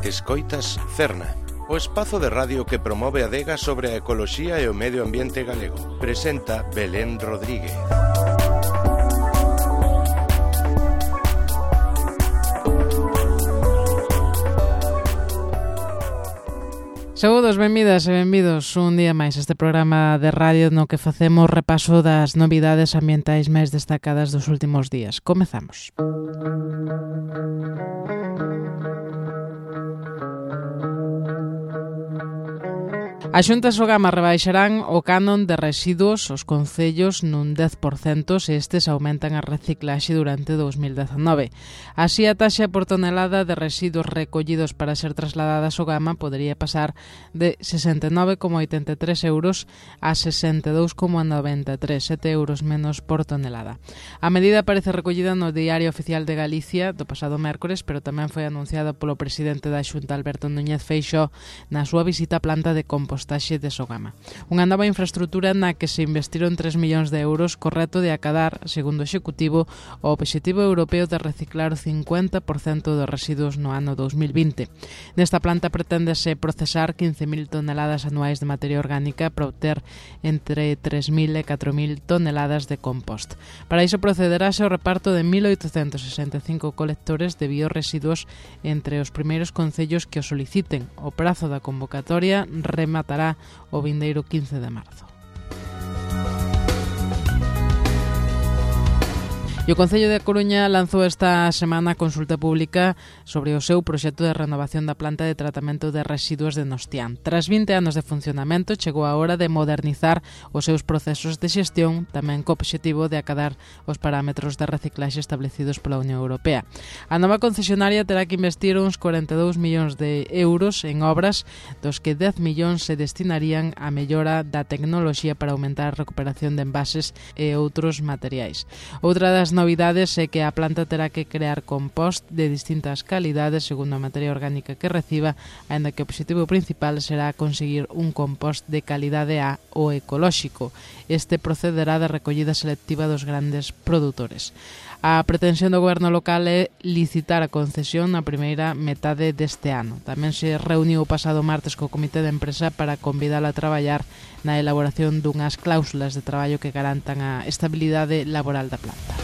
Escoitas Cerna, o espazo de radio que promove a adega sobre a ecoloxía e o medio ambiente galego. Presenta Belén Rodríguez. Saúdos, benvidas e benvidos un día máis a este programa de radio no que facemos repaso das novidades ambientais máis destacadas dos últimos días. Comezamos. A Xunta e Sogama rebaixarán o canon de residuos aos concellos nun 10% se estes aumentan a reciclaxe durante 2019. Así, a taxa por tonelada de residuos recollidos para ser trasladada a Sogama podería pasar de 69,83 euros a 62,93, 7 euros menos por tonelada. A medida aparece recollida no Diario Oficial de Galicia do pasado mércores, pero tamén foi anunciada polo presidente da Xunta, Alberto Núñez Feixóo, na súa visita á planta de compostaxe de Sogama. Unha nova infraestrutura na que se investiron 3 millóns de euros co reto de acadar, segundo o Executivo, o Obxectivo Europeo de reciclar o 50% dos residuos no ano 2020. Nesta planta preténdese procesar 15.000 toneladas anuais de materia orgánica para obter entre 3.000 e 4.000 toneladas de compost. Para iso procederase ao reparto de 1.865 colectores de biorresiduos entre os primeiros concellos que o soliciten. O prazo da convocatoria rematará o vindeiro 15 de marzo. E o Concello de Coruña lanzou esta semana a consulta pública sobre o seu proxecto de renovación da planta de tratamento de residuos de Nostián. Tras 20 anos de funcionamento, chegou a hora de modernizar os seus procesos de xestión, tamén co obxectivo de acadar os parámetros de reciclaxe establecidos pola Unión Europea. A nova concesionaria terá que investir uns 42 millóns de euros en obras, dos que 10 millóns se destinarían á mellora da tecnoloxía para aumentar a recuperación de envases e outros materiais. Outra das novidades é que a planta terá que crear compost de distintas calidades segundo a materia orgánica que reciba, aínda que o obxectivo principal será conseguir un compost de calidade A ou ecolóxico. Este procederá de recollida selectiva dos grandes produtores. A pretensión do goberno local é licitar a concesión na primeira metade deste ano. Tamén se reuniu o pasado martes co comité de empresa para convidala a traballar na elaboración dunhas cláusulas de traballo que garantan a estabilidade laboral da planta.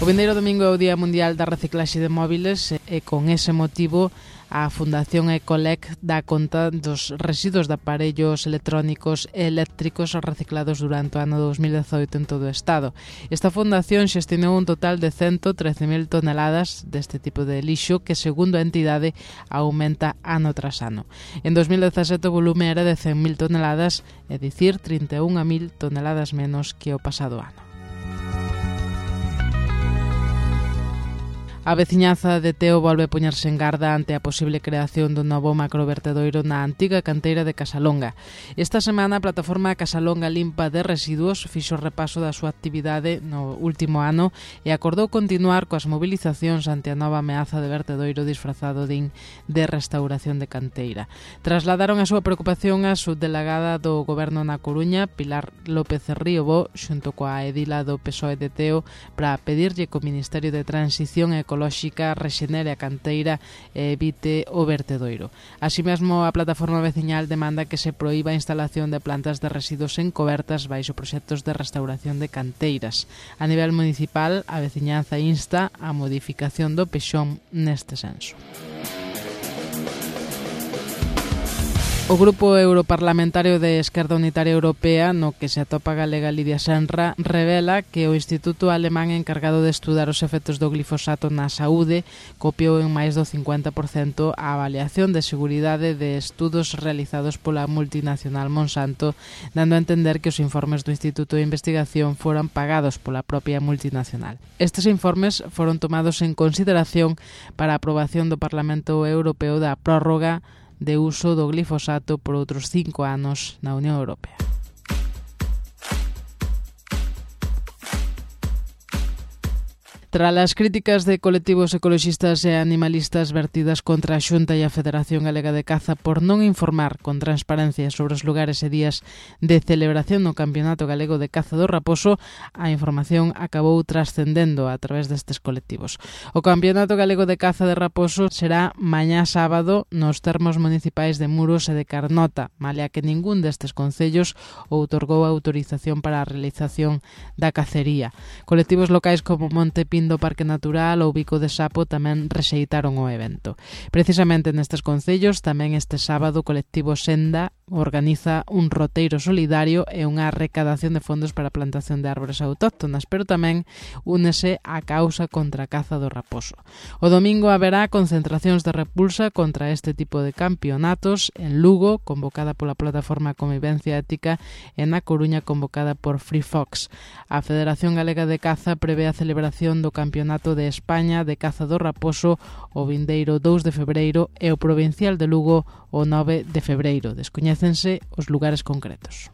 O vindeiro domingo é o Día Mundial da Reciclaxe de Móviles e con ese motivo a Fundación Ecolec dá conta dos residuos de aparellos electrónicos e eléctricos reciclados durante o ano 2018 en todo o Estado. Esta fundación xestionou un total de 113.000 toneladas deste tipo de lixo que, segundo a entidade, aumenta ano tras ano. En 2017 o volume era de 100.000 toneladas, é dicir, 31.000 toneladas menos que o pasado ano. A veciñanza de Teo volve a poñerse en garda ante a posible creación dun novo macrovertedoiro na antiga canteira de Casalonga. Esta semana a plataforma Casalonga Limpa de Residuos fixo repaso da súa actividade no último ano e acordou continuar coas mobilizacións ante a nova ameaza de vertedoiro disfrazado de restauración de canteira. Trasladaron a súa preocupación a subdelegada do Goberno na Coruña, Pilar López Ríobo, xunto coa edila do PSOE de Teo, para pedirlle que o Ministerio de Transición Ecolóxica rexenere a canteira e evite o vertedoiro. Así mesmo, a plataforma veciñal demanda que se proíba a instalación de plantas de residuos encobertas baixo proxectos de restauración de canteiras. A nivel municipal, a veciñanza insta a modificación do pexón neste senso. O Grupo Europarlamentario de Esquerda Unitaria Europea, no que se atopa a galega Lidia Senra, revela que o Instituto Alemán encargado de estudar os efectos do glifosato na saúde copiou en máis do 50% a avaliación de seguridade de estudos realizados pola multinacional Monsanto, dando a entender que os informes do Instituto de Investigación foran pagados pola propia multinacional. Estes informes foron tomados en consideración para a aprobación do Parlamento Europeo da prórroga de uso do glifosato por outros 5 anos na Unión Europea. Tras as críticas de colectivos ecoloxistas e animalistas vertidas contra a Xunta e a Federación Galega de Caza por non informar con transparencia sobre os lugares e días de celebración no Campeonato Galego de Caza do Raposo, a información acabou trascendendo a través destes colectivos. O Campeonato Galego de Caza de Raposo será mañá sábado nos termos municipais de Muros e de Carnota, malia que ningún destes concellos outorgou a autorización para a realización da cacería. Colectivos locais como Monte Pindo do Parque Natural ou Bico de Sapo tamén rexeitaron o evento. Precisamente nestes concellos, tamén este sábado o colectivo Senda organiza un roteiro solidario e unha recadación de fondos para a plantación de árbores autóctonas, pero tamén únese á causa contra a caza do raposo. O domingo haberá concentracións de repulsa contra este tipo de campeonatos en Lugo, convocada pola plataforma Convivencia Ética, e na Coruña, convocada por Free Fox. A Federación Galega de Caza prevé a celebración do Campeonato de España de Caza do Raposo o vindeiro 2 de febreiro e o Provincial de Lugo o 9 de febreiro. Descoñécense os lugares concretos.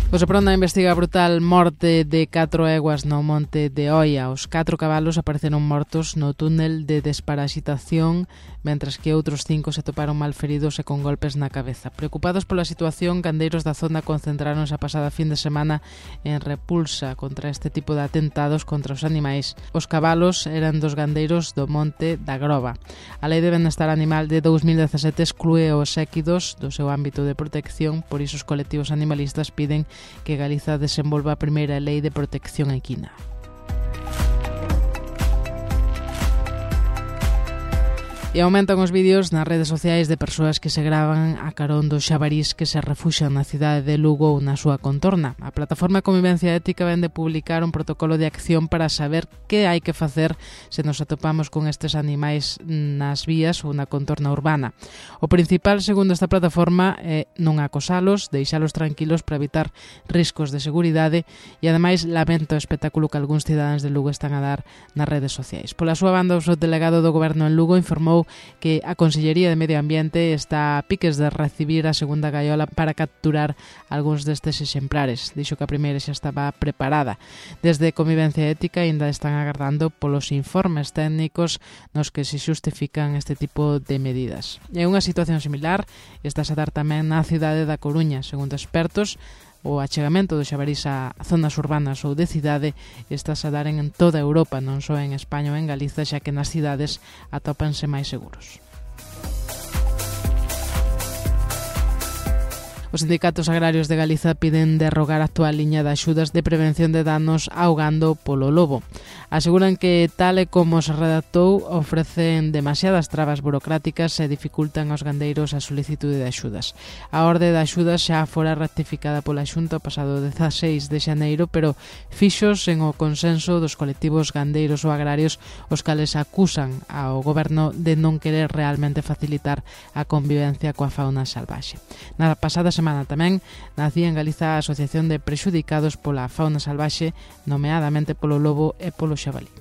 O Seprona investiga a brutal morte de 4 eguas no monte de Oia. Os 4 cabalos apareceron mortos no túnel de desparasitación, mentras que outros 5 se toparon malferidos e con golpes na cabeza. Preocupados pola situación, gandeiros da zona concentráronse a pasada fin de semana en repulsa contra este tipo de atentados contra os animais. Os cabalos eran dos gandeiros do monte da Groba. A Lei de Benestar Animal de 2017 exclúe os séquidos do seu ámbito de protección, por iso os colectivos animalistas piden que Galiza desenvolva a primeira lei de protección equina. E aumentan os vídeos nas redes sociais de persoas que se gravan a carón dos xabarís que se refuxan na cidade de Lugo ou na súa contorna. A plataforma Convivencia Ética vén de publicar un protocolo de acción para saber que hai que facer se nos atopamos con estes animais nas vías ou na contorna urbana. O principal, segundo esta plataforma, é non acosalos, deixalos tranquilos para evitar riscos de seguridade e, ademais, lamenta o espectáculo que algúns cidadáns de Lugo están a dar nas redes sociais. Pola súa banda, o subdelegado do Goberno en Lugo informou que a Consellería de Medio Ambiente está a piques de recibir a segunda gaiola para capturar algúns destes exemplares. Dixo que a primeira xa estaba preparada. Desde Convivencia Ética ainda están agardando polos informes técnicos nos que se xustifican este tipo de medidas. E unha situación similar está a dar tamén na cidade da Coruña. Segundo expertos, o achegamento do xabarís a zonas urbanas ou de cidade está a dar en toda Europa, non só en España ou en Galiza, xa que nas cidades atópanse máis seguros. Os sindicatos agrarios de Galiza piden derrogar a actual liña de axudas de prevención de danos ao gando polo lobo. Aseguran que, tal e como se redactou, ofrecen demasiadas trabas burocráticas e dificultan aos gandeiros a solicitude de axudas. A orde de axudas xa fora rectificada pola Xunta o pasado 16 de xaneiro, pero fixos en o consenso dos colectivos gandeiros ou agrarios, os cales acusan ao goberno de non querer realmente facilitar a convivencia coa fauna salvaxe. Na pasada semana tamén nacía en Galiza a Asociación de Prexudicados pola Fauna Salvaxe, nomeadamente polo lobo e polo xabalí.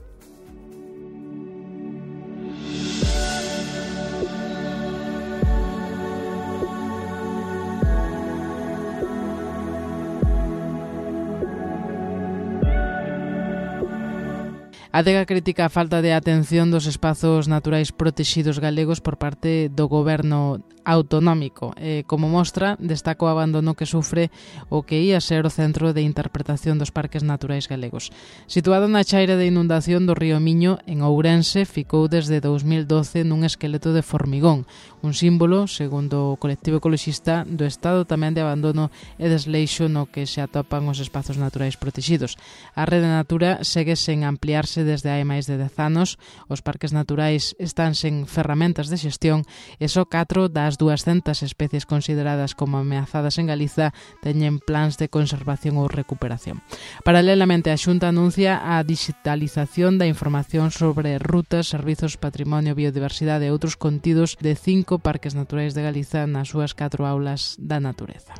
A Adega critica a falta de atención dos espazos naturais protexidos galegos por parte do goberno autonómico. Como mostra, destaca o abandono que sufre o que ia ser o centro de interpretación dos parques naturais galegos. Situado na chaira de inundación do río Miño, en Ourense, ficou desde 2012 nun esqueleto de formigón, un símbolo, segundo o colectivo ecoloxista, do estado tamén de abandono e desleixo no que se atopan os espazos naturais protexidos. A Rede Natura segue sen ampliarse desde hai máis de 10 anos, os parques naturais están sen ferramentas de xestión e só 4 das 200 especies consideradas como ameazadas en Galiza teñen plans de conservación ou recuperación. Paralelamente, a Xunta anuncia a digitalización da información sobre rutas, servizos, patrimonio, biodiversidade e outros contidos de 5 parques naturais de Galiza nas súas 4 aulas da natureza.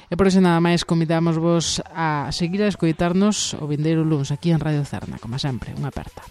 E por iso nada máis, convidamos vos a seguir a escoitarnos o vindeiro luns aquí en Radio Cerna, como sempre, unha aperta.